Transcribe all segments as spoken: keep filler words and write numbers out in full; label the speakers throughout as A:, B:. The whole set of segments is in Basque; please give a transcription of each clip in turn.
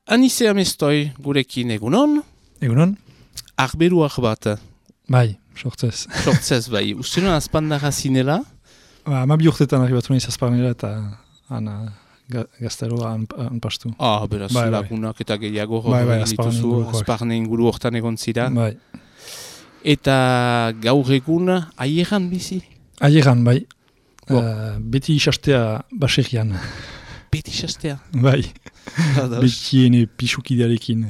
A: Anize Amestoi gurekin egunon.
B: Egunon?
A: Arberuak bat.
B: Bai, sortzez.
A: Sortzez bai. Uste nuen azpandara zinela?
B: Ba, ama bi urtetan arribatu nahiz azparnera eta ana ga, gazteroa anpastu.
A: Ah, beraz,
B: bai,
A: lagunak bai. Eta gehiago
B: bai, bai,
A: dituzu, azparne inguru hortan egon zira.
B: Bai.
A: Eta gaur egun aieran bizi?
B: Aieran, bai. Uh, beti isastea baserrian.
A: Beti isastea?
B: Bai. Beti ene pixukidearekin.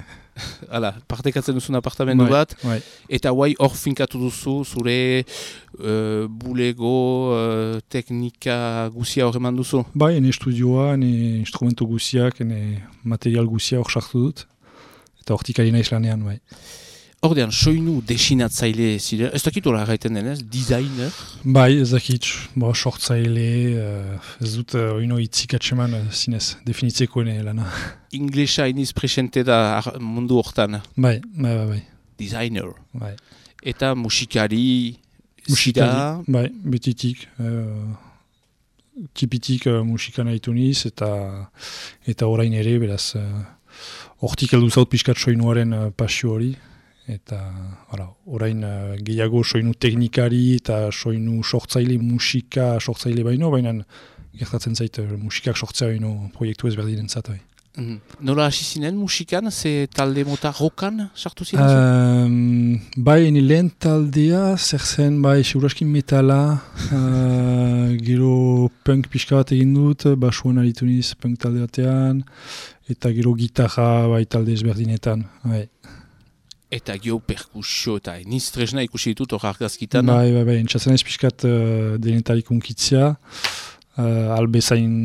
A: Hala, partekatzen duzun apartamendu
B: bai,
A: bat,
B: bai.
A: Eta guai hor finkatu duzu, zure uh, bulego, uh, teknika guzia hor eman duzu?
B: Bai, ene estudioa, ene instrumento guziak, ene material guzia hor sartu dut. Eta hortik ari naiz lanean, bai.
A: Ordean, soinu desinatzaile zire, ez dakit hola gaiten denez, designer?
B: Bai, ez dakit, bo, sortzaile, uh, ez dut uh, oino itzik atseman uh, zinez, definitzeko ene lana.
A: Inglesa iniz presente da mundu hortan?
B: Bai, bai, bai. bai.
A: Designer?
B: Bai.
A: Eta musikari?
B: Musikari, bai, betitik. Uh, tipitik uh, musikan haitu niz, eta, eta orain ere, beraz, hortik uh, heldu zaut pixkat soinuaren uh, pasio hori. Eta hala, orain uh, gehiago soinu teknikari eta soinu sortzaile, musika sortzaile baino, baina gertatzen zait uh, musikak sortzea baino proiektu ezberdinen zat.
A: Mm. Nola hasi zinen musikan, ze talde mota rokan sartu zinen?
B: Um, bai, ene lehen taldea, zer zen, bai, seuraskin metala, uh, gero punk pixka bat egin dut, basuan aritu niz punk talde batean, eta gero gitarra bai talde ezberdinetan, bai.
A: Eta gio perkusio eta eniz tresna ikusi ditut hor argazkitan.
B: Bai, bai, bai, entzatzen ez pixkat uh, denetarik unkitzea. Uh, albezain,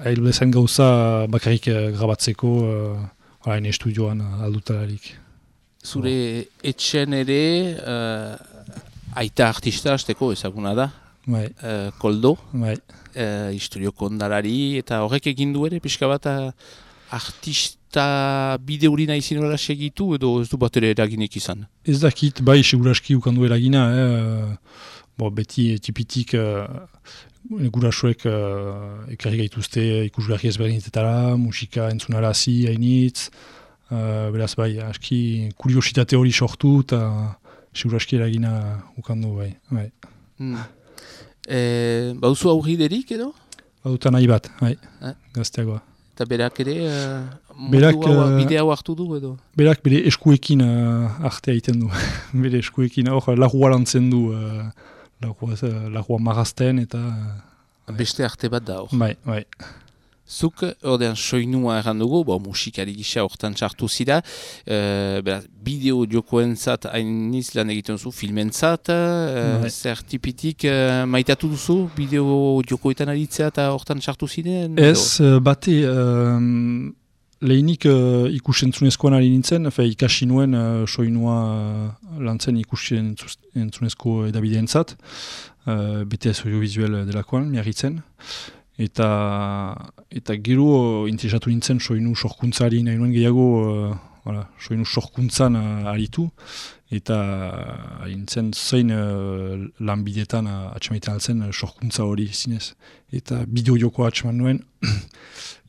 B: albezain gauza bakarrik uh, grabatzeko, uh, hain estudioan uh, aldutalarik.
A: Zure oh. etxen ere, uh, aita artista azteko ezaguna da.
B: Bai.
A: Uh, Koldo.
B: Bai.
A: Uh, historio kondalari, eta horrek egin du ere, pixka bat uh, artista eta bide hori nahi zinora segitu edo ez du bat ere eraginek izan?
B: Ez dakit, bai, seguraski ukandu eragina, eh? Bo, beti tipitik uh, gurasoek uh, ekarri gaituzte ikusgarri ezberdinetetara, musika entzunarazi, hainitz, uh, beraz bai, aski kuriositate hori sortu eta seguraski eragina ukandu, bai. bai.
A: Hmm. E, bauzu aurriderik edo?
B: Bauta nahi bat, bai,
A: eh?
B: Gazteagoa.
A: Eta berak ere, uh,
B: berak,
A: hau, bide hau hartu du edo?
B: Berak bere eskuekin uh, artea egiten du. Bere eskuekin, hor, lagua lantzen du, uh, lagua, uh, lagua marazten eta... Uh,
A: Beste arte bat da hor.
B: Bai, bai.
A: Zuk, ordean, soinua erran dugu, bo, musikari gisa hortan sartu zira, uh, beraz, bideo jokoentzat hainiz lan egiten duzu, filmentzat, uh, zer tipitik uh, maitatu duzu, bideo jokoetan aritzea eta hortan sartu ziren?
B: Ez, uh, bate, um, lehenik uh, ikusentzunezkoan ari nintzen, fe, ikasi nuen uh, soinua uh, lantzen ikusentzunezko edabideentzat, uh, B T S audiovisuel delakoan, miarritzen. Eta, eta gero interesatu nintzen soinu sorkuntzari nahi nuen gehiago, uh, voilà, soinu sorkuntzan uh, aritu. Eta ari nintzen zein uh, lanbidetan uh, atxamaiten altzen uh, sorkuntza hori zinez. Eta bideo-joko atxaman nuen.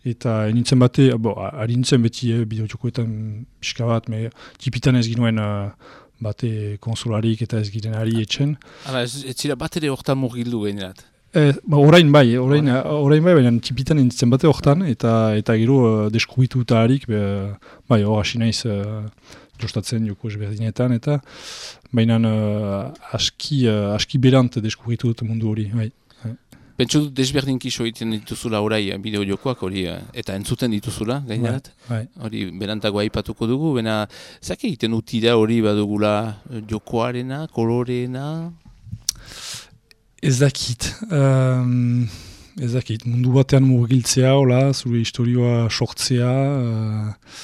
B: Eta nintzen bate, bo, ari nintzen beti eh, bideo-jokoetan pixka bat, me, tipitan ez ginuen uh, bate konsolarik eta ez giren ari etxen.
A: Hala, ez, ez zira bat ere hortan murgildu gainerat?
B: Eh, ba, orain bai, orain, orain bai, baina tipitan enditzen bate hortan, eta eta gero uh, deskubitu eta harik, bai, hor hasi naiz uh, jostatzen joko ezberdinetan, eta baina uh, aski, uh, aski berant deskubitu dut mundu hori, bai.
A: Pentsu dut desberdinki egiten dituzula orai bideo jokoak hori, eta entzuten dituzula, gainerat?
B: Bai,
A: hori berantago aipatuko dugu, baina zake egiten utira hori badugula jokoarena, koloreena?
B: Ez dakit, um, ez dakit, mundu batean murgiltzea, hola, zure historioa sortzea, uh,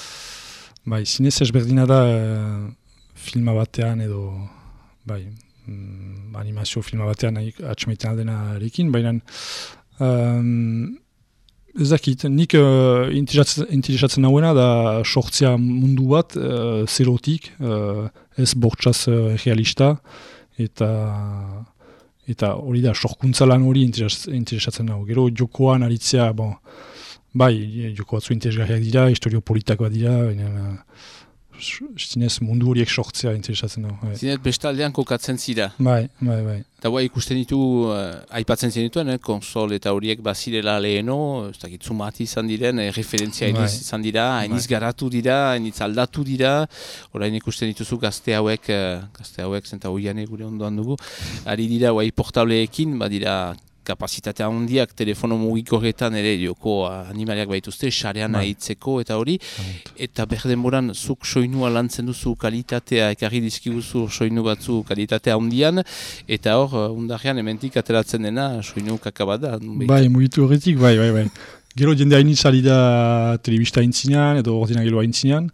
B: bai, zinez ezberdina da uh, filma batean edo, bai, um, animazio filma batean atxamaiten aldenarekin, baina um, ez dakit, nik uh, interesatzen nauena da sortzea mundu bat uh, zerotik, uh, ez bortxaz uh, realista, eta... Eta hori da, sorkuntza lan hori interesatzen nago. Gero jokoan aritzea, bon, bai, joko batzu interesgarriak dira, historio politakoak dira, baina... Zinez mundu horiek sortzea interesatzen dago.
A: Zinez bestaldean kokatzen zira.
B: Bai, bai, bai.
A: Eta guai ikusten ditu, uh, aipatzen zenituen, eh, konsol eta horiek bazirela leheno, ez dakit zumati izan diren, eh, referentzia hainiz bai. izan dira, hainiz bai. garatu dira, hainiz aldatu dira, orain ikusten dituzu gazte hauek, uh, gazte hauek zenta hoiane gure ondoan dugu, ari dira guai portableekin, badira kapazitatea handiak telefono mugikorretan ere joko animaliak baituzte, sarean ahitzeko eta hori, eta berdenboran zuk soinua lantzen duzu kalitatea, ekarri dizkiguzu soinu batzu kalitatea handian, eta hor, undarrean hementik ateratzen dena soinu kakabada.
B: Bai, mugitu horretik, bai, bai, bai. Gero jende hainitz ari da telebista haintzinean, edo ordinagelo haintzinean,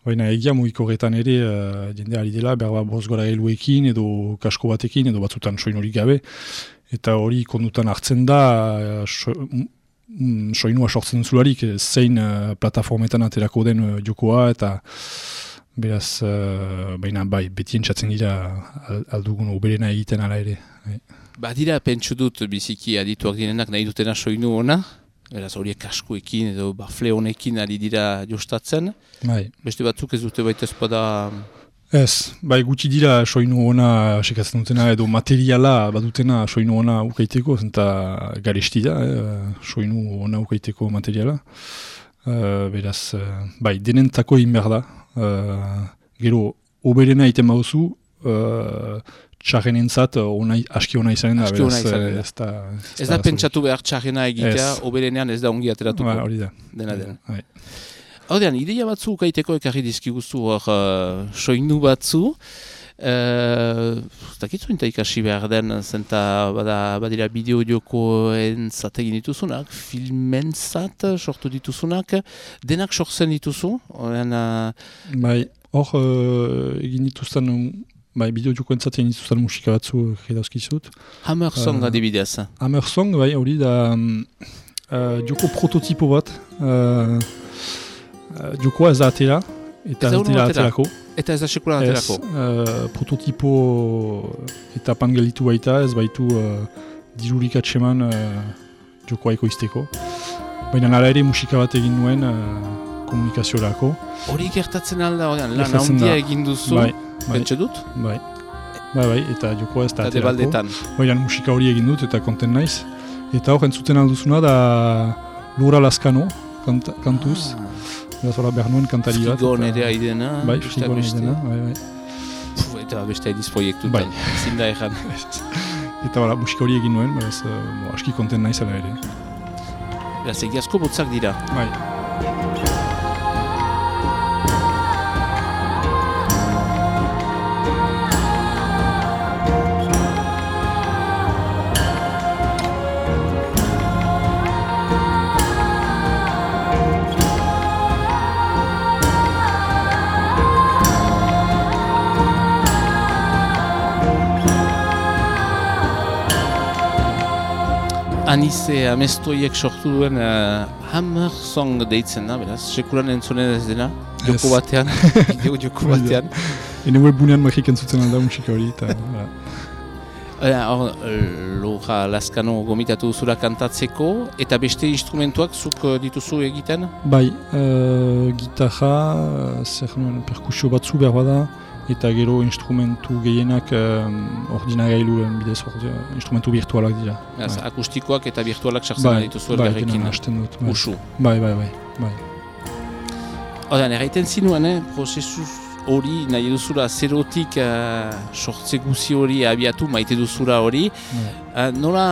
B: baina egia mugikorretan ere uh, jende ari dela, berba bozgora heluekin, edo kasko batekin, edo batzutan soinurik gabe, eta hori kondutan hartzen da so, mm, soinua sortzen zularik zein uh, plataformetan aterako den uh, jokoa eta beraz uh, baina bai beti entzatzen dira aldugun oberena egiten ala ere. Bai.
A: Badira pentsu dut biziki adituak direnak nahi dutena soinu ona, beraz horiek kaskoekin edo bafle honekin ari dira jostatzen. Bai. Beste batzuk ez dute baita espada...
B: Ez, bai gutxi dira soinu ona sekatzen dutena edo materiala badutena soinu ona ukaiteko, zenta garesti da, eh, soinu ona ukaiteko materiala. Uh, beraz, uh, bai, denentako egin behar da. Uh, gero, oberena iten baduzu, uh, txarren entzat onai, aski ona izanen da.
A: Aski ona izanen da. Ez da, ez da pentsatu behar txarrena egitea, oberenean ez da ongi ateratuko.
B: Ba, hori da.
A: Dena dena. Bai. Haudean, ideia batzu ukaiteko ekarri dizkiguzu hor uh, soinu batzu. Uh, Dakitzu eta ikasi behar den, zenta bada, badira bideo-diokoen zategin dituzunak, filmentzat sortu dituzunak, denak sortzen dituzu. Haudean, uh...
B: Bai, hor uh, egin dituzten, bai, bideo-diokoen zategin dituzten musika batzu edauzkizut.
A: Hammer Song uh, adibidez.
B: Hammer Song, bai, hori da uh, dioko prototipo bat. Uh, Uh, jokoa ez da atera, eta ez dira aterako.
A: Eta ez da sekulan aterako.
B: Uh, prototipo eta pangelitu baita, ez baitu uh, dirurik atseman uh, jokoa ekoizteko. Baina nara ere musika bat egin nuen uh, komunikaziorako.
A: Hori gertatzen alda, lan handia egin duzu,
B: bai,
A: pentsa dut?
B: Bai, bai, bai, eta jokoa ez da aterako. Baina musika hori egin dut eta konten naiz. Eta hor entzuten alduzuna da Lura Laskano, kant, kantuz. Ah. Eta zola behar nuen kantari bat.
A: Frigo nire haidena.
B: Bai, frigo nire haidena, bai, bai.
A: Eta beste haidiz proiektutan, bai. Zinda egan.
B: Eta bala, musika hori egin nuen, beraz, uh, aski konten nahi zela ere.
A: Beraz, egiazko botzak dira.
B: Bai.
A: Anize amestoiek sortu duen uh, Hammer Song deitzen da, beraz, sekulan entzunen ez dena, joko batean, bideo joko batean.
B: Ene webbunean magik entzuten alda musika hori, eta...
A: Hor, Lura Laskano gomitatu zura kantatzeko, eta beste instrumentuak zuk dituzu egiten?
B: Bai, uh, gitarra, zer nuen, perkusio batzu behar bada, eta gero instrumentu gehienak um, ordinagailuen bidez, ordi, instrumentu virtualak dira.
A: Bai. Akustikoak eta virtualak sartzen bai, dituzu elgarrekin.
B: Bai, hasten dut. Bai.
A: Usu.
B: Bai, bai, bai. bai.
A: Odan, erraiten zinuen, eh, prozesu hori nahi duzura zerotik uh, sortze guzi hori abiatu, maite duzura hori. Bai. Uh, nola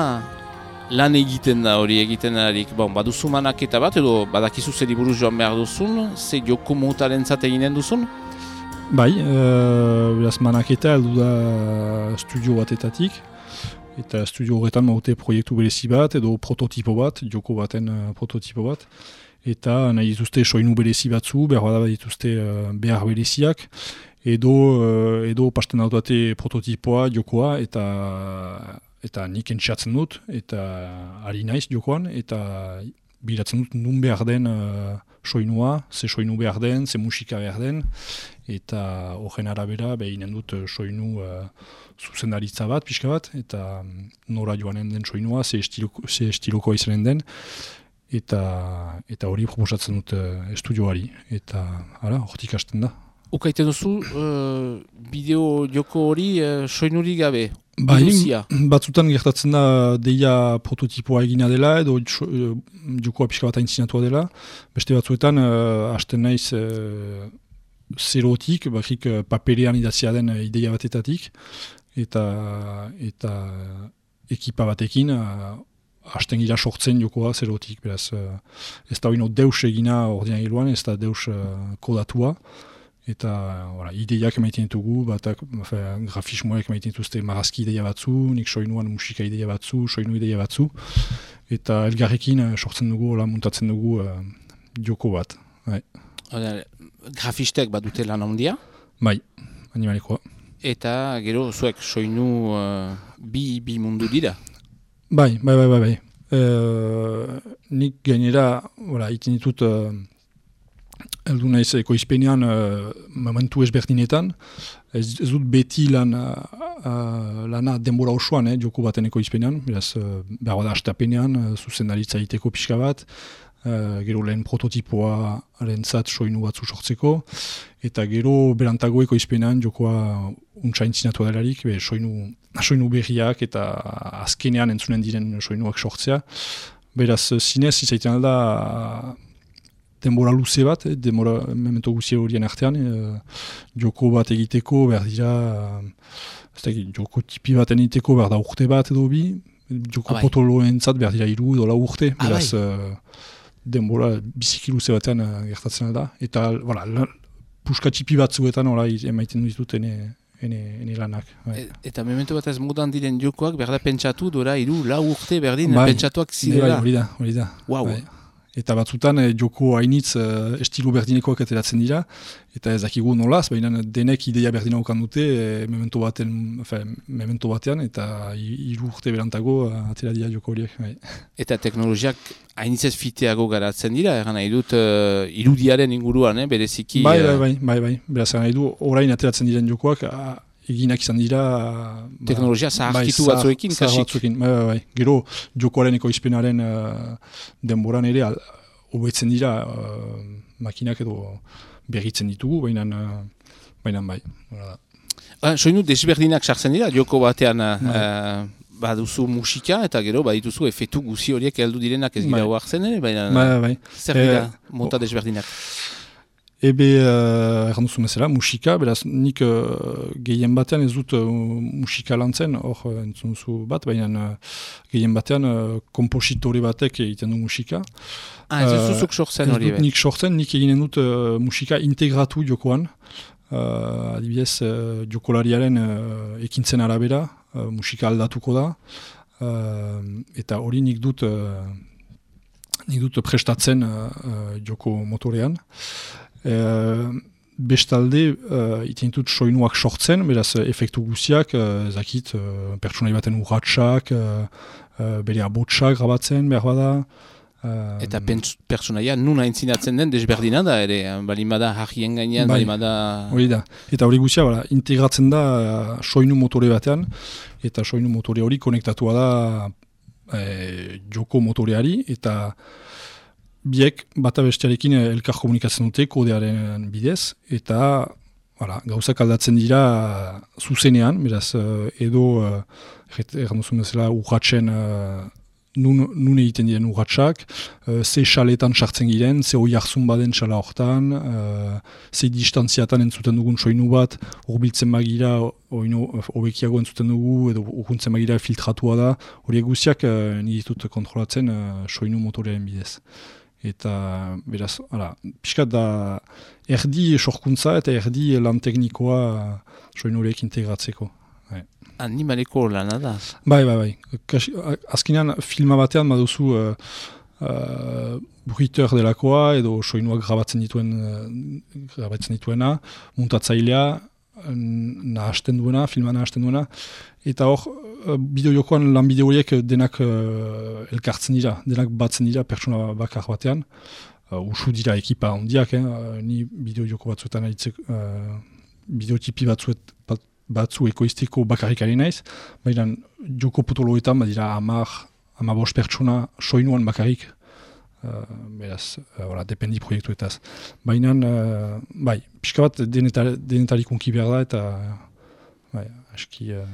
A: lan egiten da hori egiten darik? Bon, baduzu manaketa bat, edo badakizu zeri buruz joan behar duzun, ze joko motaren zat eginen duzun?
B: Bai, uh, beraz manaketa heldu da studio batetatik, eta studio horretan maute proiektu berezi bat, edo prototipo bat, joko baten uh, prototipo bat, eta nahi dituzte soinu berezi batzu, behar da dituzte uh, behar bereziak, edo, uh, edo pasten dautate prototipoa, jokoa, eta, eta nik entxatzen dut, eta ari naiz jokoan, eta bilatzen dut nun behar den uh, soinua, ze soinu behar den, ze musika behar den, eta horren arabera behinen dut soinu uh, zuzendaritza bat, pixka bat, eta nora joanen den soinua, ze estiloko, ze estiloko izanen den, eta eta hori proposatzen dut uh, estudioari, eta hala, hortik hasten da.
A: Ukaiten duzu, uh, bideo joko hori uh, soinuri gabe?
B: Bai, batzutan gertatzen da deia prototipoa egina dela edo jokoa pixka bat aintzinatua dela. Beste batzuetan uh, hasten naiz uh, zerotik, bakrik uh, paperean idatzia den uh, ideia batetatik, eta eta ekipa batekin uh, hasten gira sortzen jokoa zerotik. Beraz, uh, ez da hori deus egina ordenagailuan, ez da deus uh, kodatua. Eta voilà, ideiak emaiten ditugu, batak grafismoak emaiten dituzte marazki ideia batzu, nik soinuan musika ideia batzu, soinu ideia batzu. Eta elgarrekin uh, sortzen dugu, la muntatzen dugu uh, joko bat. Bai.
A: Grafistek bat dute lan handia?
B: Bai, animalikoa.
A: Eta gero zuek soinu uh, bi, bi mundu dira?
B: Bai, bai, bai, bai. bai. Uh, nik gainera, voilà, iten ditut... Uh, Eldu naiz ekoizpenean uh, momentu ezberdinetan, ez, ez dut beti lan, uh, lana denbora osoan, eh, joko baten ekoizpenean, beraz, uh, behar da hastapenean, uh, zuzendaritza egiteko pixka bat, uh, gero lehen prototipoa arentzat soinu batzu sortzeko, eta gero berantago ekoizpenean jokoa untsa intzinatu delarik, be, soinu, soinu berriak eta azkenean entzunen diren soinuak sortzea. Beraz, zinez, izaiten alda, denbora luze bat, eh, denbora memento guzi horien artean, eh, joko bat egiteko, behar dira, eh, joko tipi baten egiteko, behar da urte bat edo bi, joko ah, potoloen zat behar dira iru edo lau urte, ah, beraz, eh, denbora biziki luze batean eh, gertatzen da, eta voilà, puska tipi batzuetan emaiten ditut ene, ene, ene lanak. Bai.
A: E, eta memento bat ez mudan diren jokoak, behar da pentsatu, dora iru lau urte berdin, bai, pentsatuak zirela.
B: Bai, hori da, hori da.
A: Wow.
B: Bai. Eta batzutan eh, joko hainitz eh, estilo berdinekoak ateratzen dira, eta ez dakigu nolaz, baina denek ideia berdina okan dute eh, memento, baten, enfin, memento batean, eta hiru urte berantago uh, atera dira joko horiek. Bai.
A: Eta teknologiak hainitzez fiteago garatzen dira, egan nahi dut uh, irudiaren inguruan, eh, bereziki...
B: Bai, bai, bai, bai, bai. Beraz, egan nahi du, orain ateratzen diren jokoak, uh, eginak izan dira...
A: Teknologia zaharkitu bai, batzuekin, kasik.
B: Batzuekin, bai, bai, bai. Gero, jokoaren ekoizpenaren uh, denboran ere, hobetzen dira uh, makinak edo berritzen ditugu, baina uh, baina bai.
A: Ah, soinu desberdinak sartzen dira, joko batean uh, baduzu musika, eta gero badituzu efetu guzi horiek heldu direnak ez gira hoartzen ere, baina
B: bai, bai.
A: Zer dira eh, mota desberdinak?
B: Ebe, uh, erran duzu mesela, musika, beraz, nik uh, gehien batean ez dut uh, musika lantzen, hor uh, entzun zu bat, baina uh, gehien batean uh, kompositore batek egiten du musika.
A: Ah, ez duzuzuk sortzen hori?
B: Ez dut nik sortzen, nik eginen dut uh, musika integratu jokoan, uh, adibidez, uh, jokolariaren uh, ekintzen arabera, uh, musika aldatuko da, uh, eta hori nik dut, uh, nik dut prestatzen uh, uh, joko motorean. Uh, bestalde uh, itintut soinuak sortzen, beraz efektu guziak, uh, zakit, uh, pertsonai baten urratxak, uh, uh, bere abotsak grabatzen, behar bada. Uh,
A: Eta pertsonaia nun aintzinatzen den desberdina da ere, balimada harrien gainean, bai, balimada...
B: Hori da, eta hori guzia, bala, integratzen da uh, soinu motore batean, eta soinu motore hori konektatua da eh, joko motoreari, eta biek bata bestearekin elkar komunikatzen dute kodearen bidez, eta voilà, gauzak aldatzen dira zuzenean, beraz edo erran duzun bezala urratzen uh, nun, nun egiten diren urratsak, uh, ze xaletan sartzen giren, ze hoi hartzun baden xala hortan, uh, ze distantziatan entzuten dugun soinu bat, urbiltzen bagira, hobekiago entzuten dugu, edo urkuntzen bagira filtratua da, horiek guztiak uh, niditut kontrolatzen uh, soinu motorearen bidez. Eta, beraz, ala, pixkat da erdi sorkuntza eta erdi lan teknikoa soinu horiek integratzeko. Bai.
A: Animaleko lana da?
B: Bai, bai, bai. Kasi, azkenean filma batean baduzu uh, uh, bruiteur delakoa edo soinuak grabatzen dituen, uh, grabatzen dituena, muntatzailea, nahasten duena, filma nahasten duena, eta hor, bideo-jokoan lan bideo horiek denak uh, elkartzen dira, denak batzen dira pertsona bakar batean, uh, usu dira ekipa handiak, eh? uh, ni bideo-joko batzuetan aritzek, uh, bideotipi batzuet, bat, batzu ekoizteko bakarrik ari naiz, baina joko potoloetan badira amar, amabos pertsona soinuan bakarrik uh, beraz, uh, dependi proiektuetaz. Baina, uh, bai, pixka bat denetari, denetari konki behar da, eta bai, aski, uh,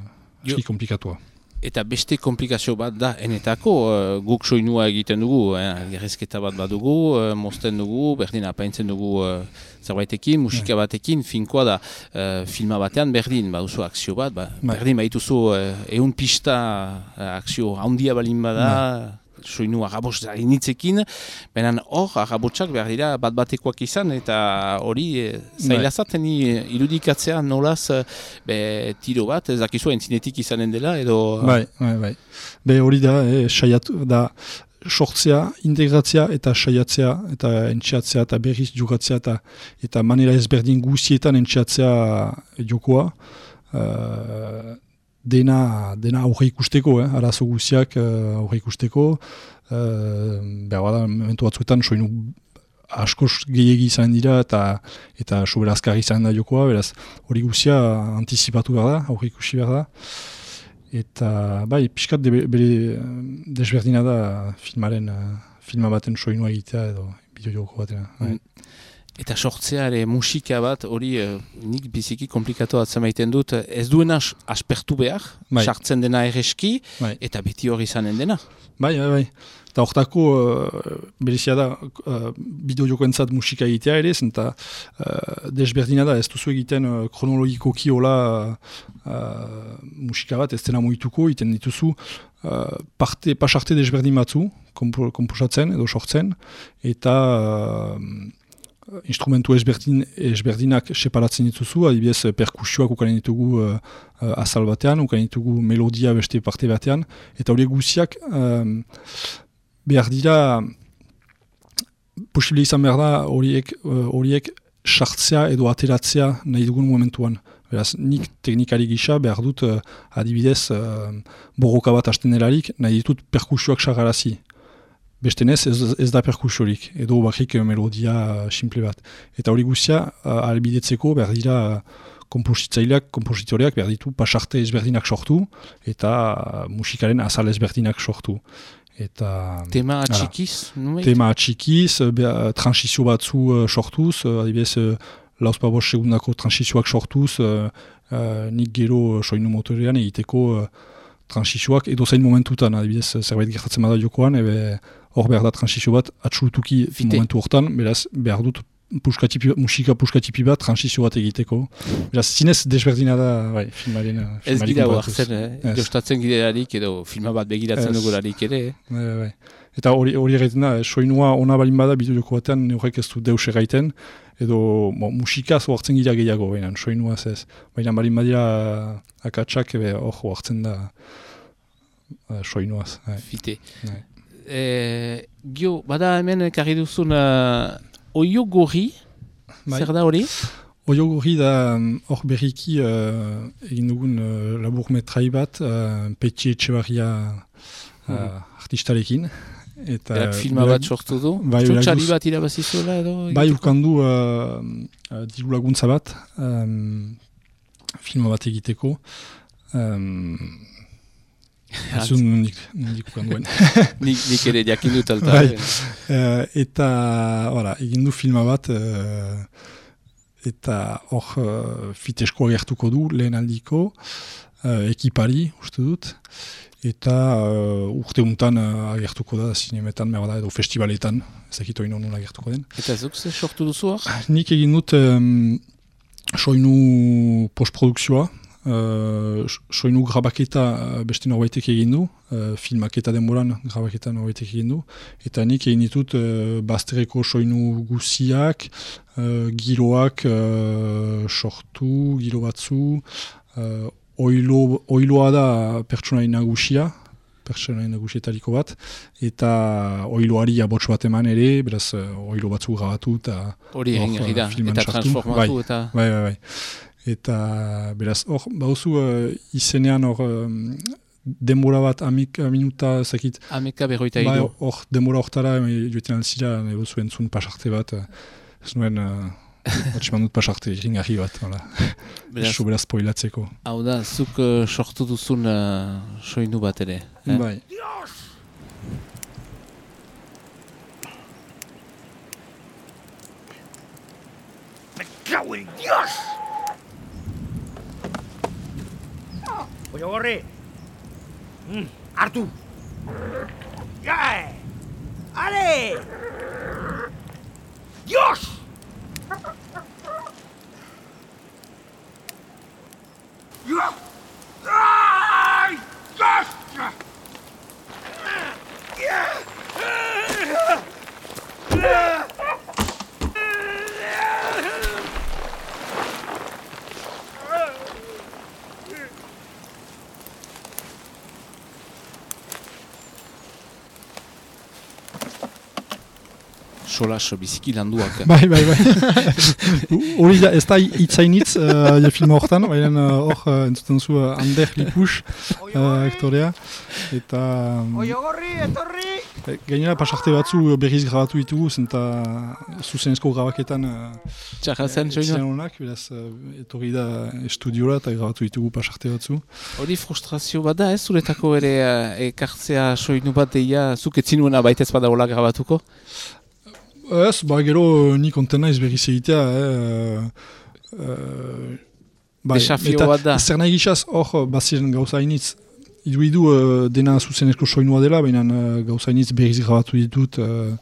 B: aski komplikatua.
A: Eta beste komplikazio bat da, enetako, uh, guk soinua egiten dugu, eh, gerrezketa bat badugu, uh, mozten dugu, berdin apaintzen dugu uh, zerbaitekin, musika batekin, finkoa da, uh, filma batean berdin, baduzu akzio bat, ba, berdin baituzu uh, eun pista uh, akzio handia balin bada, soinu arrabots hainitzekin, benen hor, arrabotsak behar dira bat batekoak izan, eta hori eh, zailazaten irudikatzea nolaz be, tiro bat, ez dakizu entzinetik izanen dela, edo...
B: Bai, bai, bai. Be hori da, eh, saiatu, da, sortzea, integratzea eta saiatzea, eta entxeatzea, eta berriz jokatzea, eta, eta manera ezberdin guzietan entxeatzea jokoa, uh, Dena, dena aurre ikusteko, eh? Arazo guziak uh, aurre ikusteko. Uh, behar bada, momentu batzuetan, soinu askoz gehiagi izan dira eta eta soberazkarri izan da jokoa, beraz, hori guzia antizipatu behar da, aurre ikusi behar da. Eta, bai, pixkat de, bere desberdina da filmaren, filma baten soinua egitea edo bideo joko batena. Mm.
A: Eta sortzea ere musika bat, hori uh, nik biziki komplikatu atzemaiten dut, ez duena as, aspertu behar, sartzen dena erreski, bai. Eta beti hori izanen dena.
B: Bai, bai, bai. Eta hortako uh, berezia da uh, bideo jokoentzat musika egitea ere, eta uh, desberdina da, ez duzu egiten uh, kronologikoki hola uh, musika bat, ez dena moituko, egiten dituzu uh, parte, pasarte desberdin batzu, kompo, komposatzen edo sortzen, eta... Uh, instrumentu ezberdin, ezberdinak separatzen dituzu, adibidez perkusioak ukanen ditugu uh, azal batean, ukanen ditugu melodia beste parte batean, eta horiek guziak um, behar dira, posible izan behar da horiek, horiek uh, sartzea edo ateratzea nahi dugun momentuan. Beraz, nik teknikari gisa behar dut uh, adibidez uh, borroka bat hasten delarik, nahi ditut perkusioak sagarazi. Bestenez ez, ez da perkusiorik, edo bakrik melodia simple bat. Eta hori guztia, uh, albidetzeko behar dira kompositzaileak, kompositoreak behar ditu pasarte ezberdinak sortu, eta uh, musikaren azal ezberdinak sortu. Eta,
A: tema atxikiz?
B: Tema atxikiz, uh, transizio batzu uh, sortuz, uh, adibidez, uh, lauzpa bost segundako transizioak sortuz, uh, uh, nik gero soinu motorean egiteko uh, transizioak edo zain momentutan, adibidez, zerbait gertatzen bada jokoan, ebe hor behar da transizio bat atxulutuki momentu hortan, beraz, behar dut puskatipi, musika puskatipi bat transizio bat egiteko. Beraz, zinez desberdina da, bai, filmaren...
A: Ez gira huartzen, eh? Jostatzen girelarik edo filma bat begiratzen dugularik ere.
B: Bai, bai. Eta hori egiten da, soinua ona balin bada bidu joko batean, horrek ez du deus egiten, edo bo, musikaz huartzen gira gehiago, baina soinua ez. Baina balin badira akatsak, hor huartzen da uh, soinuaz. Bai.
A: Fite. Bai. E, gio, bada hemen karri duzun uh, oio gorri, bai. Zer da hori?
B: Oio gorri da hor berriki uh, egin dugun uh, labur metrai bat, uh, Petxe Etxebarria uh, hmm. artistarekin. Eta
A: berak filma bat sortu du? Bai, txotxari bat irabazizuela edo?
B: Bai, urkandu uh, uh, diru laguntza bat, um, filma bat egiteko. Um, Azun nik, nik ukanduen.
A: nik, nik ere jakin dut alta.
B: Bai. Uh, eta, voilà, egin du filma bat, uh, eta hor uh, fitesko agertuko du, lehen aldiko, uh, ekipari, uste dut, eta uh, urte untan uh, agertuko da, zinemetan, da, edo festivaletan, ezakito ino nun agertuko den.
A: Eta zuk ze sortu duzu hor?
B: Nik egin dut um, soinu postprodukzioa, Uh, soinu grabaketa beste norbaitek egin du, uh, filmaketa denboran grabaketa norbaitek egin du, eta nik egin ditut uh, bazterreko soinu guziak, uh, giroak uh, sortu, giro batzu, uh, oilo, oiloa da pertsonai nagusia, pertsonai nagusietariko bat, eta oiloari abots bat eman ere, beraz uh, oilo batzu grabatu eta
A: hori egin uh, da, eta transformatu eta...
B: Bai, bai, bai. Eta beraz, hor, bauzu uh, izenean hor um, denbora bat amika minuta zakit.
A: Ameka berroita idu.
B: Bai, hor denbora hortara joetan alzira, nahi bozu entzun pasarte bat. Ez nuen, batxeman dut pasarte ringarri bat. Eso beraz spoilatzeko.
A: Hau da, zuk uh, sortu duzun uh, soinu bat ere. Eh?
B: Bai.
C: cago en Dios! Pollo gorri! Mm, hartu! ¡Ya! ¡Ale! ¡Dios! ¡Dios! ¡Ay! ¡Dios!
A: Solas biziki landuak.
B: Bai, bai, bai. Hori da, ez da itzainitz uh, filma horretan, baina hor uh, entzuten zu uh, Ander Lipus uh, aktorea. Eta... Um,
C: Oio gorri, etorri!
B: Gainera pasarte batzu berriz grabatu ditugu, zenta zuzenezko grabaketan uh,
A: Txarra zen, soinu?
B: honak, beraz uh, etorri da estudiola eta grabatu ditugu pasarte batzu.
A: Hori frustrazio bat da, ez zuretako ere uh, ekartzea soinu bat deia, zuk etzinuena baitez bada hola grabatuko?
B: Ez, ba, gero ni konten naiz berriz egitea, eh, uh, bai,
A: desafio bat da.
B: Zer nahi gizaz, hor, baziren gauza hainitz, idu-idu uh, dena zuzenezko soinua dela, baina uh, gauza hainitz berriz grabatu ditut, uh,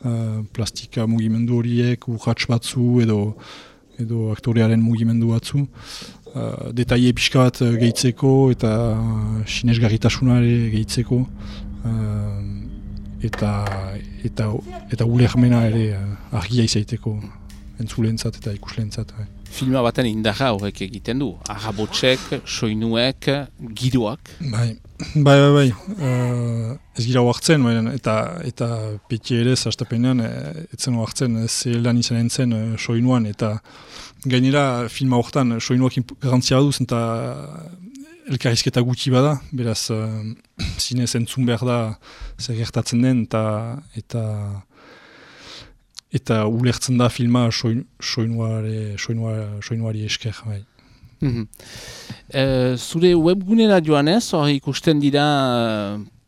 B: uh, plastika mugimendu horiek, urratx batzu, edo, edo aktorearen mugimendu batzu. Uh, detaile pixka bat uh, gehitzeko, eta uh, sinesgarritasunare gehitzeko. Uh, eta eta eta ulermena ere uh, argia izaiteko entzulentzat eta ikuslentzat. Bai.
A: Filma baten indarra horrek egiten du. Arrabotsek, soinuek, giroak.
B: Bai, bai, bai, bai. Uh, ez gira oartzen, baina, eta eta peti ere zastapenean etzen oartzen ze lan izan entzen uh, soinuan, eta gainera filma horretan soinuak garantzia baduz, eta elkarrizketa gutxi bada, beraz uh, zinez entzun behar da zer gertatzen den, eta eta eta ulertzen da filma soin, soinuare, soinua, soinuari esker. Bai.
A: Mm-hmm. uh, zure webgunera joanez, hor ikusten dira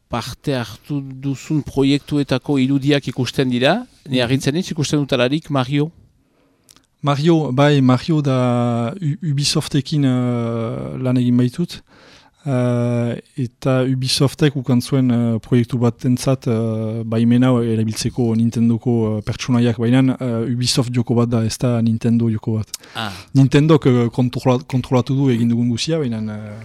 A: parte hartu duzun proiektuetako irudiak ikusten dira, ni argitzen ez ikusten dutalarik Mario?
B: Mario, bai, Mario da Ubisoftekin uh, lan egin baitut. Uh, eta Ubisoftek ukan zuen uh, proiektu bat entzat uh, baimena erabiltzeko Nintendoko uh, pertsonaiak, baina uh, Ubisoft joko bat da, ez da Nintendo joko bat.
A: Ah.
B: Nintendok uh, kontrola, kontrolatu du egin dugun guzia, baina uh,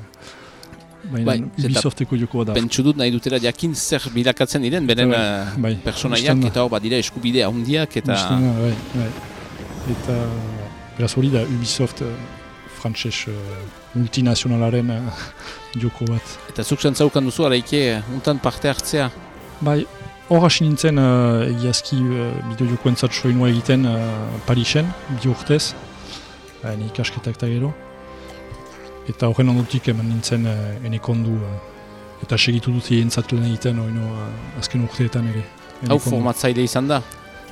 A: bai,
B: Ubisofteko joko bat da.
A: Pentsu dut nahi dutela jakin zer bilakatzen diren, beren uh, bai, pertsonaiak, eta hor bat dira eskubide handiak, eta...
B: Ustena, bai, bai. Eta beraz hori da Ubisoft uh, frantses uh, multinazionalaren uh, joko bat.
A: Eta zuk zantzaukan duzu araike untan parte hartzea?
B: Bai, hor hasi nintzen uh, egiazki uh, bideo jokoentzat soinua egiten uh, Parisen, bi urtez, uh, ikasketak eta gero. Eta horren ondotik eman nintzen uh, enekondu, uh, eta segitu dut egentzat lan egiten oino, uh, azken urteetan ere.
A: Hau formatzaile izan da?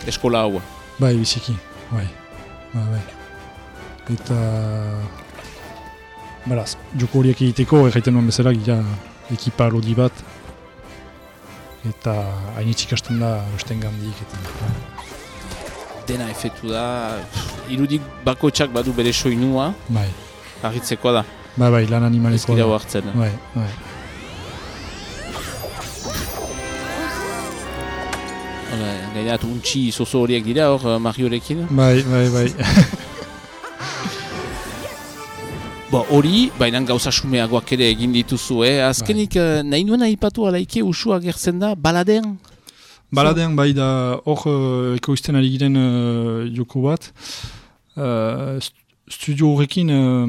A: Eskola hau?
B: Bai, biziki, bai. Ba, bai. Eta... Beraz, joko horiek egiteko, erraiten nuen bezala, gira ekipa lodi bat. Eta hainitz ikasten da osten gandik. Eta...
A: Dena efetu da, irudik bakoitzak badu bere soinua.
B: Bai.
A: Argitzekoa da.
B: Bai, bai, lan animalekoa da.
A: Ez gira hartzen.
B: Bai, bai.
A: Gainat, untxi zozo horiek dira hor Mariorekin?
B: Bai, bai, bai.
A: Bo, hori, baina gauza sumeagoak ere egin dituzu, eh? Azkenik, bai. Nahi nuen aipatu alaike usua gertzen da, baladean?
B: Baladean, bai, da hor uh, ekoizten ari giren uh, joko bat. Uh, studio horrekin uh,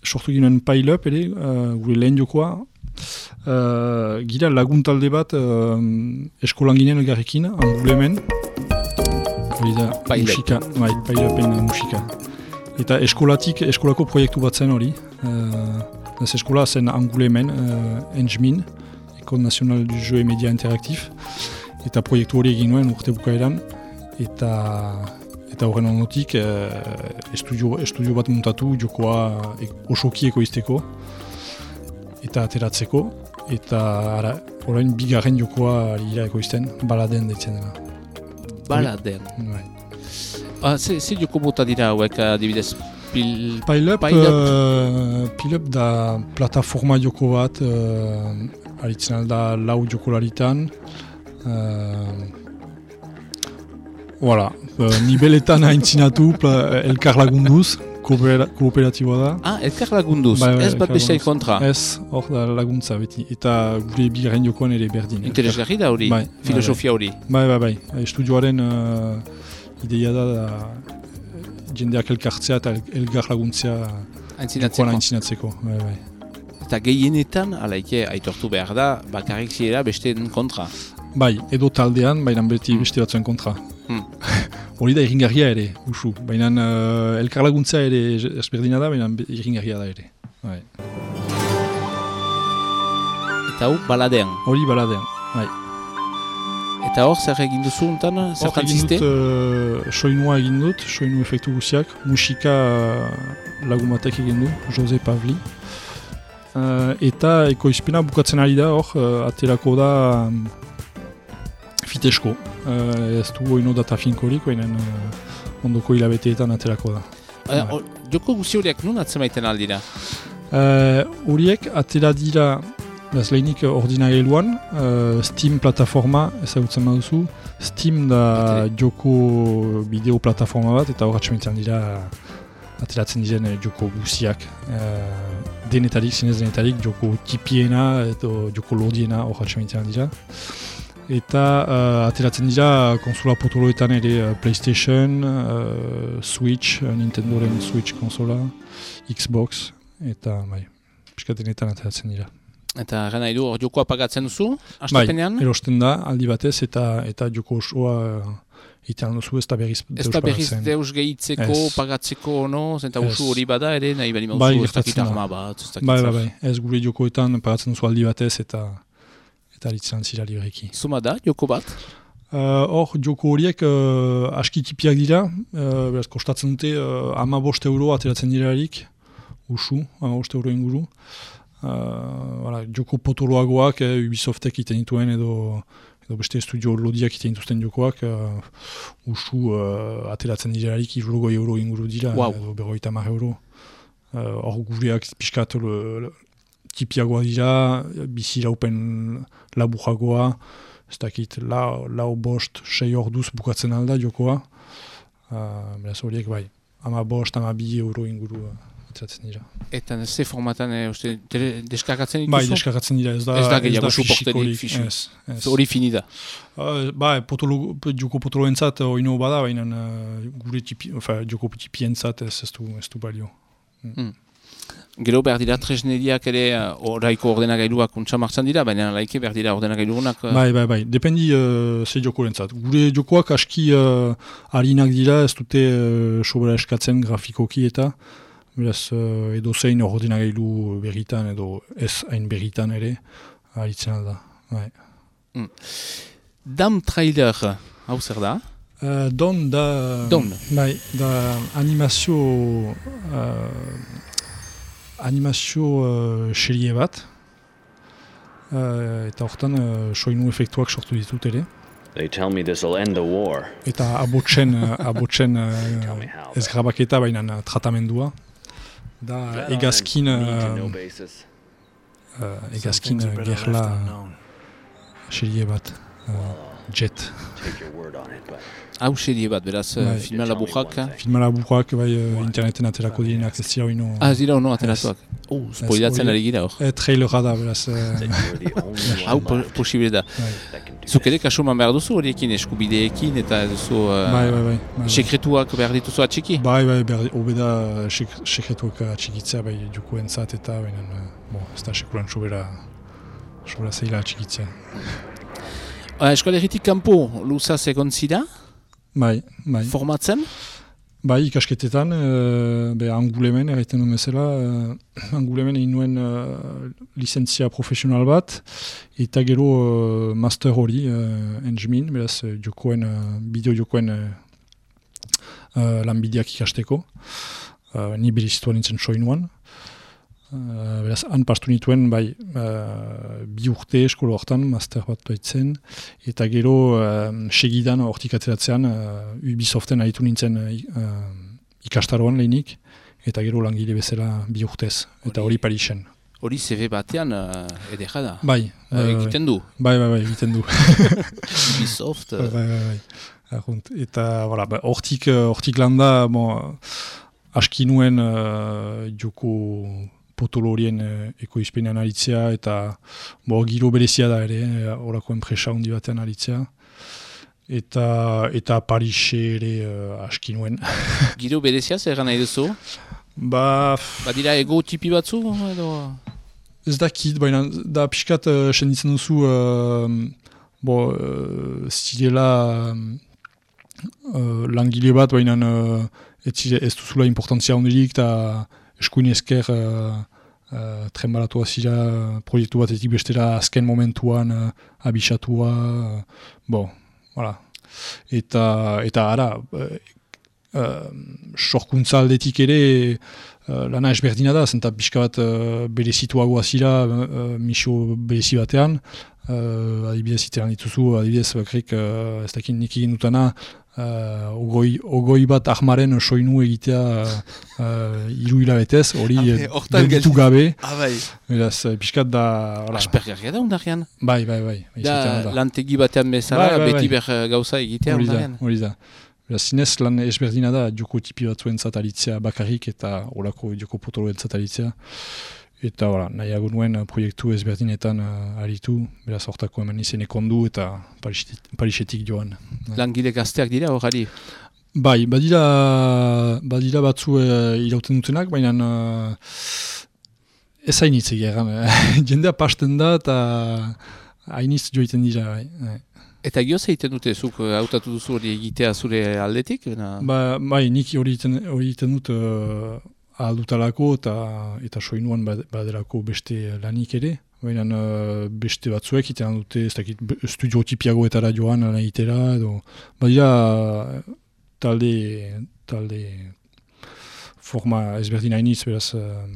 B: sortu ginen pile-up ere, uh, gure lehen jokoa. Uh, gira laguntalde bat uh, eskolan ginen elgarrekin, Angulemen. Hori da, musika, bai, pile-upen musika. Eta eskolatik, eskolako proiektu bat zen hori. Uh, ez eskola zen Angulemen, uh, Enjmin, École Nationale du Jeu et Média Interactif. Eta proiektu hori egin nuen urte bukaeran. Eta eta horren ondotik uh, estudio, estudio bat muntatu, jokoa e, osoki ekoizteko. Eta ateratzeko. Eta ara, orain bigarren jokoa ira ekoizten, baladen deitzen dela.
A: Baladen.
B: Bai.
A: Ah, ze, ze joko bota dira hauek, adibidez, pil...
B: Pile-up,
A: Pile-up.
B: uh, Pile-up da plataforma joko bat, uh, aritzen alda lau jokolaritan. Uh, voilà, uh, nibeletan haintzinatu elkar lagunduz, koopera, kooperatiboa da.
A: Ah, elkar lagunduz,
B: Bai, bai,
A: ez bat besteai kontra.
B: Ez, hor da laguntza beti, eta gure bigarren jokoan ere berdin.
A: Interesgarri da hori,
B: bai,
A: filosofia hori.
B: Bai, bai, bai, estudioaren uh, ideia da, da jendeak elkartzea eta elgar laguntzea jokoan aintzinatzeko. Bai, bai.
A: Eta gehienetan, alaike, aitortu behar da, bakarrik zirela besteen kontra.
B: Bai, edo taldean, baina beti mm. beste batzuen kontra.
A: Mm.
B: Hori da irringarria ere, usu. Baina uh, elkar laguntza ere ezberdina da, baina irringarria da ere. Bai.
A: Eta hau, baladean.
B: Hori baladean, bai.
A: Eta hor, zer egin duzu untan?
B: Hor egin dut, uh, soinua egin dut, soinu efektu guziak. Musika uh, lagun batek egin du, Jose Pavli. Uh, eta ekoizpena bukatzen ari da hor, uh, aterako da um, fitesko. Uh, ez du oino data finkorik, baina uh, ondoko hilabeteetan aterako da.
A: Uh, or, joko guzi horiak nun atzemaiten aldira?
B: Horiek uh, atera dira, bez lehenik ordinagailuan, uh, Steam plataforma ezagutzen baduzu. Steam da Atele. Joko bideo plataforma bat, eta hor atzemaiten dira ateratzen diren joko guziak. Uh, denetarik, zinez denetarik, joko tipiena edo joko lodiena hor atzemaiten dira. Eta uh, ateratzen dira konsola potoloetan ere uh, PlayStation, uh, Switch, uh, Nintendoren Switch konsola, Xbox, eta bai, piskatenetan ateratzen dira.
A: Eta gana edu, hor jokoa pagatzen duzu,
B: Bai,
A: astapenean?
B: erosten da, aldi batez, eta eta joko osoa uh, itean duzu, ez da berriz deus
A: pagatzen. Ez da berriz deus gehitzeko, pagatzeko, no? Zenta usu hori bada ere, nahi bali mauzu,
B: bai,
A: ez dakit arma bat, ez dakit
B: bai, bai, bai, ez gure jokoetan pagatzen duzu aldi batez, eta eta aritzen zira libreki.
A: Zuma da, joko bat?
B: Hor, uh, joko horiek uh, aski tipiak dira, uh, beraz, kostatzen dute uh, ama bost euro ateratzen dirarik, usu, ama bost euro inguru. Uh, voilà, joko potoloagoak, eh, Ubisoftek iten dituen edo, edo beste studio lodiak iten dituzten jokoak, uh, usu uh, ateratzen dirarik irurogoi euro inguru dira,
A: wow.
B: Edo berrogeita hamar euro. Hor uh, gureak pixkat tipiagoa dira, bizi laupen laburagoa, ez dakit, lau, lau bost, sei orduz bukatzen alda jokoa. Uh, beraz horiek bai, ama bost, ama bi euro inguru uh, ateratzen dira.
A: Eta ze formatan, e, uste, deskargatzen dituzu?
B: Bai, deskargatzen dira, ez da,
A: ez da,
B: ez da
A: fisikorik. Hori fini da?
B: Uh, ba, potolo, joko potoloentzat oino bada, baina uh, gure tipi, ofa, joko tipientzat ez, ez, du, ez du balio. Mm.
A: Mm. Gero behar dira tresneriak ere oraiko ordenagailuak untsa martzan dira, baina laike behar dira ordenagailuak... Uh...
B: Bai, bai, bai, dependi uh, ze jokorentzat. Gure jokoak aski uh, harinak dira, ez dute uh, sobera eskatzen grafikoki eta beraz uh, edo zein ordenagailu berritan edo ez hain berritan ere haritzen alda. Bai.
A: Mm. Dam trailer, hau zer da?
B: Uh, don da...
A: Don.
B: Bai, da animazio... Uh, animazio uh, serie bat, uh, eta horretan uh, soinu efektuak sortu ditut ere.
D: They tell me this'll end the war.
B: Eta abotzen, uh, abotzen uh, ez grabaketa baina uh, tratamendua. Da egazkin, uh, uh, egazkin uh, gerla serie bat, uh, Jet.
A: Hau serie bat, beraz, bai. Filma laburrak.
B: Filma laburrak, bai, interneten aterako direnak ez dira oino...
A: Ah, ez dira ono ateratuak. Oh, spoilatzen ari gira hor.
B: E, trailera da, beraz...
A: Hau posible da. Zuk ere kasuman behar duzu horiekin, eskubideekin, eta duzu...
B: Bai, bai, bai.
A: Sekretuak behar dituzu atxiki?
B: Bai, bai, obeda sekretuak atxikitzea, bai, jokoentzat eta, baina, bo, ez da sekulan sobera, sobera zeila atxikitzea.
A: Eskoleritik kanpo, luzaz egon zira?
B: Bai, bai.
A: Formatzen?
B: Bai, ikasketetan, uh, be, angulemen, erraiten duen bezala, uh, angulemen egin nuen uh, lizentzia profesional bat, eta gero uh, master hori, uh, engmin, beraz, uh, jokoen, uh, bideo jokoen uh, uh, lanbideak ikasteko. Uh, ni berezitua nintzen soinuan. Uh, beraz, han pastu nituen, bai, uh, bi urte eskola hortan, master bat baitzen, eta gero uh, segidan hortik atzeratzean uh, Ubisoften aritu nintzen uh, ikastaroan lehenik, eta gero langile bezala bi urtez, eta hori Parisen.
A: Hori C V batean uh, edera da.
B: Bai.
A: Uh, egiten du.
B: Bai, bai, bai, egiten du.
A: Ubisoft. Uh...
B: Bai, bai, bai. Arrunt. Eta, voilà, ba, hortik, hortik landa, bon, aski nuen uh, joko potolo horien uh, ekoizpenean aritzea, eta bo, giro berezia da ere, horako enpresa handi batean aritzea. Eta, eta Parise ere uh, aski nuen.
A: Giro berezia zer nahi duzu?
B: Ba...
A: Badira ego tipi batzu? Edo...
B: Ez dakit, baina da pixkat uh, senditzen duzu uh, bo, uh, zirela uh, langile bat, baina uh, ez, ez duzula importantzia hondirik, eta eskuin esker uh, uh, trenbalatua zira proiektu batetik bestera azken momentuan uh, abisatua, uh, bo, voilà. Eta, eta ara, uh, uh, sorkuntza aldetik ere, Uh, lana esberdina da, zenta pixka bat uh, berezituagoa zira, uh, misio berezi batean, uh, adibidez iteran dituzu, adibidez bakrik, uh, ez dakit nik egin dutana, uh, ogoi, ogoi bat ahmaren soinu egitea uh, iru hilabetez, hori gelditu gabe,
A: ah, bai.
B: Eraz, pixkat da...
A: Aspergarria da undarrean?
B: Bai, bai, bai.
A: Da, da. Lantegi batean bezala, bai, bai, beti bai. Ber gauza egitea undarrean.
B: Hori da. Zinez lan esberdina da joko tipi batzuen zataritzea bakarrik eta horako joko potoloen zataritzea. Eta voilà, nahiago nuen proiektu ezberdinetan uh, aritu, beraz hortako hemen izen ekondu eta Parisetik joan.
A: Langile gazteak dira horari?
B: Bai, badira, badira batzu uh, irauten dutenak, baina uh, ez hainitz egeran. Jendea pasten da eta hainitz joiten dira. Bai.
A: Eta gioz egiten dute, zuk hautatu duzu hori egitea zure aldetik?
B: Ba, bai, nik hori egiten dut uh, aldutalako eta, eta soinuan baderako beste lanik ere. Baina uh, beste batzuek egiten dute, ez dakit, studio tipiagoetara joan lan egitera, edo badira talde, talde forma ezberdin hainiz, beraz, uh,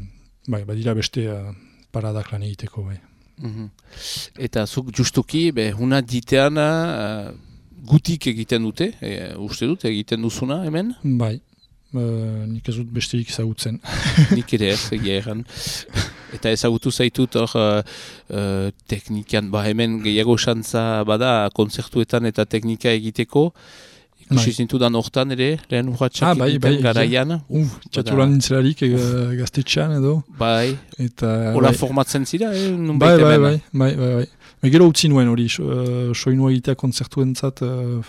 B: bai, badira beste uh, paradak lan egiteko, bai.
A: Mm-hmm. Eta zuk justuki, be, huna ditean uh, gutik egiten dute, e, uste dut, egiten duzuna hemen?
B: Bai, uh, nik ez dut besterik ezagutzen.
A: Nik ere ez, egia egan. Eta ezagutu zaitut hor uh, uh, teknikan, ba hemen gehiago xantza bada konzertuetan eta teknika egiteko. Ikusi zintudan hortan ere, lehen urratxak
B: ah, bai,
A: egiten
B: bai,
A: garaian.
B: Uf, txatulan nintzelarik e, gaztetxean edo.
A: Bai, hola bai. Formatzen zira, eh? Nun
B: bai, bai, bai, bai, bai, bai. Bai, gero utzi nuen hori, uh, soinua egitea konzertuentzat, uh,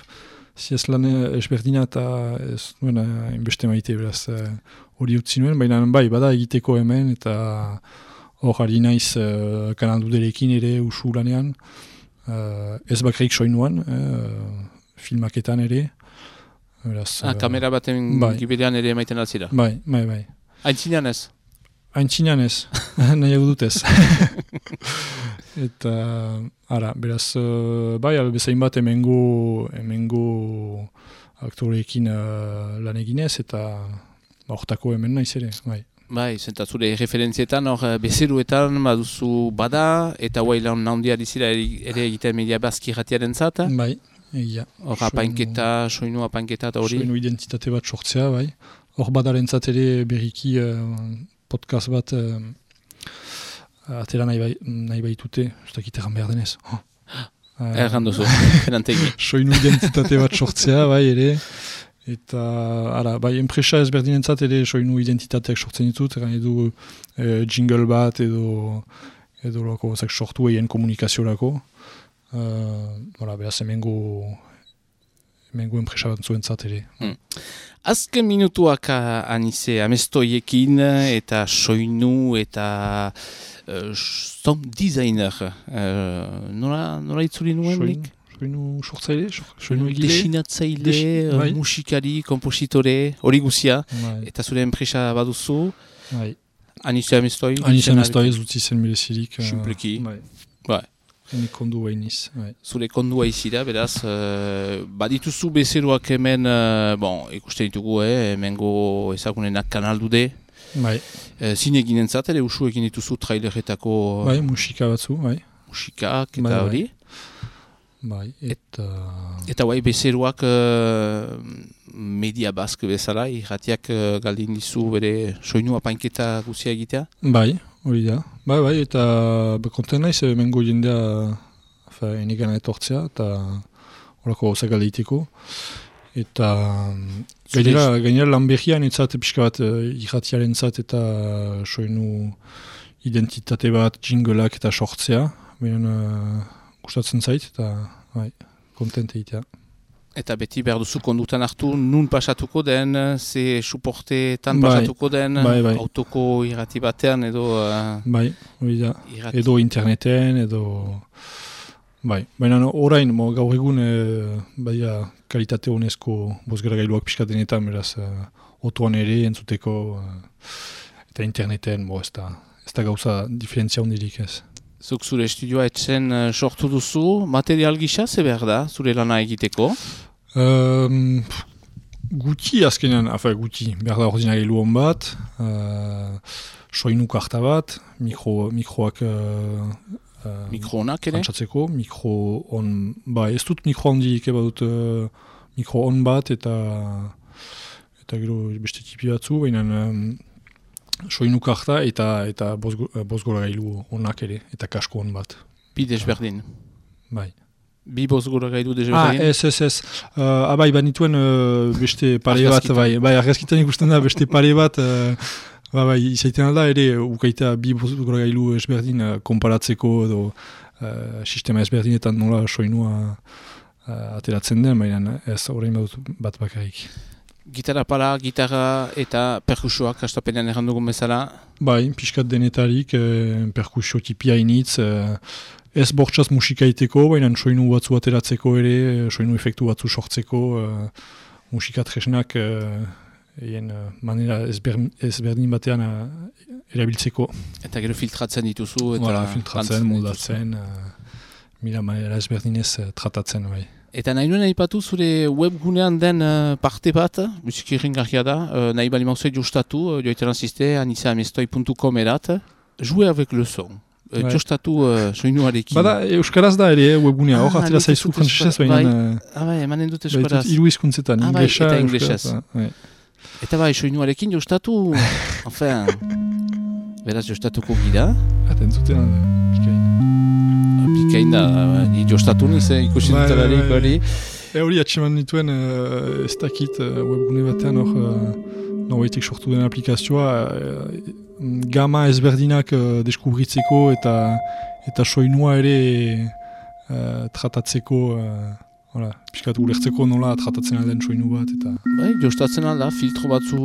B: ziez lan esberdina eta ez nuen inbeste maite beraz hori uh, utzi nuen, baina bai, bada egiteko hemen eta hor ari naiz uh, kanalduderekin ere usu lanean, uh, ez bakreik soinuan, uh, filmaketan ere. Beraz,
A: ah, kamera baten bai. Giberean ere emaiten altzira?
B: Bai, bai, bai.
A: Aintzinean ez?
B: Aintzinean ez, nahiago dut ez. Eta, ara, beraz, uh, bai, albezain bat emengo, emengo aktoreekin uh, lan eginez, eta hortako hemen naiz ere, bai.
A: Bai, zentzure referentzietan, hor bezeruetan baduzu bada, eta guai lan naundia dizira ere egiten media bazki ratiaren zata?
B: Bai. Egia.
A: Hor apainketa, soinu apainketa eta hori?
B: Soinu identitate bat sortzea, bai. Hor badaren ere berriki uh, podcast bat uh, atera nahi, bai, nahi baitute, ez dakit egan behar denez. Oh. Uh,
A: Erran duzu, fenantegi.
B: Soinu identitate bat sortzea, bai, ere. Eta, ara, bai, enpresa ezberdinentzat ere soinu identitateak sortzen ditut, egan edu uh, jingle bat edo, edo loko, zak sortu egin komunikaziorako. Uh, voilà, beraz, emengo, emengo enpresa bat zuentzat ere.
A: Hmm. Azken minutuak anize amestoiekin eta soinu eta uh, sound designer. Uh, nola, nola itzuli nuen?
B: Soinu, soinu sortzaile? Soinu egile?
A: Desinatzaile,
B: Des,
A: uh,
B: bai.
A: musikari, kompositore, hori guzia.
B: Bai.
A: Eta zure enpresa baduzu.
B: Bai.
A: Anize amestoi?
B: Anize amestoi, zutzi zen merezirik.
A: Simpleki.
B: Uh, bai.
A: Bai.
B: Hene kondu hainiz. Bai.
A: Zure kondua izira, beraz, uh, badituzu bezeroak hemen, uh, bon, ikusten ditugu, eh, hemengo ezagunenak kanaldude,
B: Bai.
A: E, zine ginen zat, ere usu egin dituzu traileretako
B: Bai, musika batzu, bai.
A: musikak eta
B: Bai, bai.
A: hori.
B: Bai, eta...
A: Eta guai bezeroak uh, media bask bezala, irratiak uh, galdin dizu bere soinu apainketa guzia egitea?
B: Bai, hori da. Bai, bai, eta konten naiz, mengo jendea enigana etortzea, eta horako gauzak galdeiteko. Eta gainera, gainera lan behian entzat pixka bat irratiaren zat eta soinu identitate bat, jingleak eta sortzea. Baina uh, gustatzen zait, eta bai, kontent egitea.
A: Eta beti behar duzu kondutan hartu, nun pasatuko den, ze suporteetan
B: Bai,
A: pasatuko den,
B: bai, bai.
A: autoko irrati batean edo... Uh,
B: Bai, hori da.
A: irrati.
B: Edo interneten, edo... Bai, baina no, orain, mo, gaur egun e, baia kalitate honezko bozgara gailuak pixkatenetan, beraz, e, otoan ere entzuteko, e, eta interneten, bo, ez da, ez da gauza diferentzia hondirik ez.
A: Zuk zure estudioa etzen uh, sortu duzu, material gisa, ze behar da, zure lana egiteko?
B: Um, guti azkenean, afa guti, behar da ordinagailu hon bat, uh, soinu karta bat, mikro, mikroak... Uh, Uh,
A: mikro honak ere?
B: Antzatzeko, mikro on, ba ez dut mikro handirik eba dut uh, mikro on bat eta eta gero beste tipi batzu, baina um, soinu karta eta eta bozgora gailu onak ere, eta kasko on bat.
A: Bi desberdin.
B: Bai.
A: Bi bozgora gailu
B: Ah,
A: desberdin?
B: ez, ez, ez. Uh, abai, banituen uh, beste pare bat, bai, bai, argazkitan ikusten da beste pare bat, uh, Ba, bai, izaiten alda ere, ukaita bi bozgora gailu ezberdin uh, konparatzeko edo uh, sistema ezberdinetan nola soinua uh, ateratzen den, baina ez horrein badut bat bakarrik.
A: Gitarra pala, gitarra eta perkusioak hastapenean errandu dugun bezala?
B: Bai, pixkat denetarik, eh, perkusio tipia initz, eh, ez bortxaz musika iteko, baina soinu batzu ateratzeko ere, soinu efektu batzu sortzeko, eh, musika tresnak eh, Egen uh, manera ezberdin batean uh, erabiltzeko.
A: Eta gero filtratzen dituzu eta...
B: Voilà, filtratzen, moldatzen, uh, mila manera ezberdinez uh, tratatzen, bai.
A: Eta nahi nuen aipatu zure webgunean den uh, parte bat, musiki irringarria da, uh, nahi bali mauzei justatu, uh, joiteran ziste, anisa amestoi puntu com erat, jouer avec le son. Uh,
B: bai.
A: Justatu uh, soinuarekin.
B: Bada, euskaraz da ere webgunea, hor,
A: ah,
B: atera zaizu frantzesez, baina...
A: Bai, ah, bai, emanen dut euskaraz.
B: Iru hizkuntzetan,
A: ah, bai,
B: inglesa,
A: eta inglesez.
B: Bai.
A: Eta bai, soinuarekin jostatu, enfin, beraz jostatuko gira.
B: Eta entzuten, pikain.
A: Pikain da, ni jostatu niz, eh, ikusi
B: Bai,
A: dutelarik
B: bai, bai.
A: hori.
B: E hori atseman nituen, uh, ez dakit uh, webgune batean hor, uh, norbetik sortu den aplikazioa, uh, gama ezberdinak uh, deskubritzeko eta eta soinua ere uh, tratatzeko, uh, Hala, pixkat ulertzeko nola tratatzen alden soinu bat, eta...
A: Bai, jostatzen alda, filtro batzu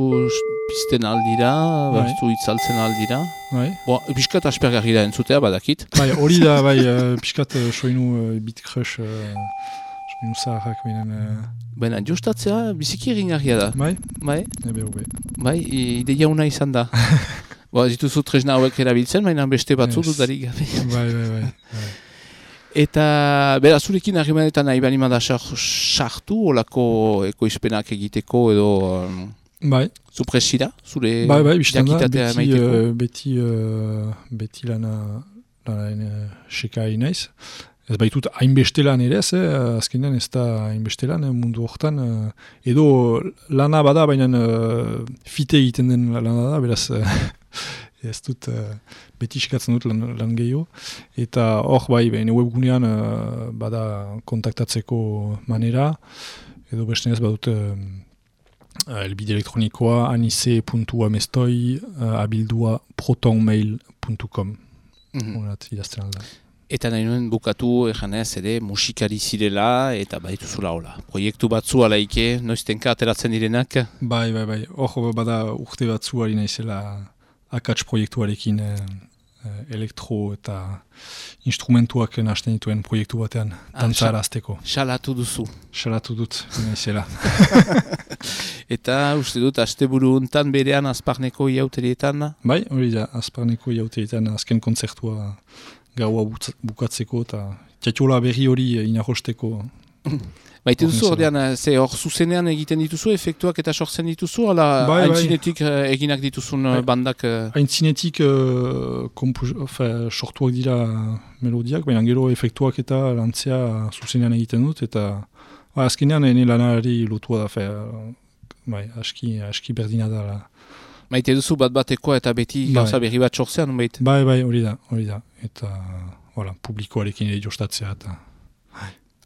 A: pizten aldira,
B: Bai.
A: batzu itzaltzen aldira.
B: Bai,
A: Bo, pixkat aspergarri da entzutea, badakit.
B: bai hori da, bai, uh, pixkat uh, soinu uh, beat crush, uh, soinu zaharrak benen... Uh,
A: Baina, jostatzea biziki erringarria da.
B: bai,
A: Bai,
B: ebe hobe.
A: bai, i- ideia una izan da. Bo, dituzu tresna hauek erabiltzen, baina beste batzu
B: Yes.
A: dudarik gabe.
B: Bai, bai, bai. bai.
A: Eta, bera, zurekin harrimanetan nahi bali mada sartu, olako ekoizpenak egiteko edo um,
B: Bai,
A: zupresira, zure
B: bai, bai, biztan da,
A: jakitatea
B: beti,
A: emaiteko.
B: uh, beti, uh, beti lana, lana uh, seka inaiz. Ez baitut hainbeste lan ere ez, eh? Azkenean ez da hainbeste lan, eh? Mundu hortan. Uh, edo lana bada, baina uh, fite egiten den lana da, beraz... Uh, ez dut, uh, beti iskatzen dut lan, lan gehiago. Eta hor bai, behine webgunean uh, bada kontaktatzeko manera, edo bestenez badut uh, elbide elektronikoa anise puntu amestoi uh, abildua protonmail puntu com.
A: Mhm.
B: Horat idazten alda.
A: Eta nahi nuen bukatu ejanez ere musikari zirela eta badituzula hola. Proiektu batzu alaike, noiztenka ateratzen direnak.
B: Bai, bai, bai. Hor bada urte batzu ari naizela akats proiektuarekin eh, eh, elektro eta instrumentuak nahasten dituen proiektu batean tantzara azteko.
A: Salatu duzu.
B: Salatu dut, naizela.
A: Eta uste dut, asteburu untan berean azparneko iauterietan.
B: Bai, hori da, azparneko iauterietan azken kontzertua gaua bukatzeko eta txatxola berri hori inarrosteko.
A: Maite duzu, ordean, ze hor zuzenean egiten dituzu, efektuak eta sortzen dituzu, ala
B: bai,
A: haintzinetik bai. eginak dituzun bai. bandak?
B: Haintzinetik uh, uh, sortuak dira melodiak, baina gero efektuak eta lantzea zuzenean egiten dut, eta ba, azkenean ene lanari lotua da, fe, bai, aski, aski berdina da. La.
A: Maite duzu bat batekoa eta beti bai. gauza berri bat sortzean, bait?
B: Bai, bai, hori da, hori da, eta voilà, publikoarekin ere jostatzea, eta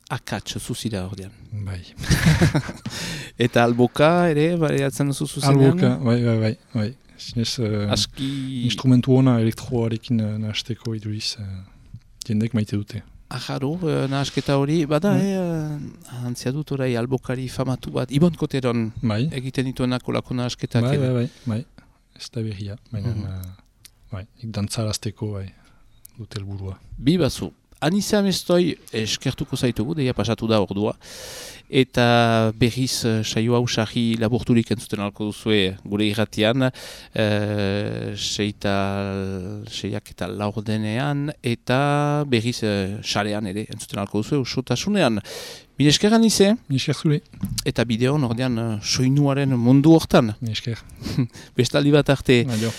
A: akats zuzira ordean.
B: Bai.
A: Eta alboka ere, bariatzen duzu zuzenean?
B: Alboka, bai, bai, bai. bai. Zinez, uh,
A: Aski...
B: instrumentu hona elektroarekin uh, nahasteko iduriz, uh, jendek maite dute.
A: Ajaro, uh, nahasketa hori, bada, mm. eh, uh, antzia dut orai albokari famatu bat, Ibon Koteron
B: bai.
A: egiten dituenak olako nahasketak.
B: Bai, bai, bai, bai. Ez da berria, baina, mm -hmm. uh, bai, nik dantzarazteko, bai, dut helburua.
A: Bi bazu. Anizea Mestoi eskertuko zaitugu, deia pasatu da ordua, eta berriz uh, saio hau sarri laburturik entzuten alko duzue gure irratian, uh, seita, seiak eta laurdenean, eta berriz uh, sarean ere entzuten alko duzue, usotasunean. Mil esker Anize?
B: Mil esker zure.
A: Eta bideon ordean uh, soinuaren mundu hortan.
B: Mil esker.
A: Bestaldi bat arte.
B: Adio.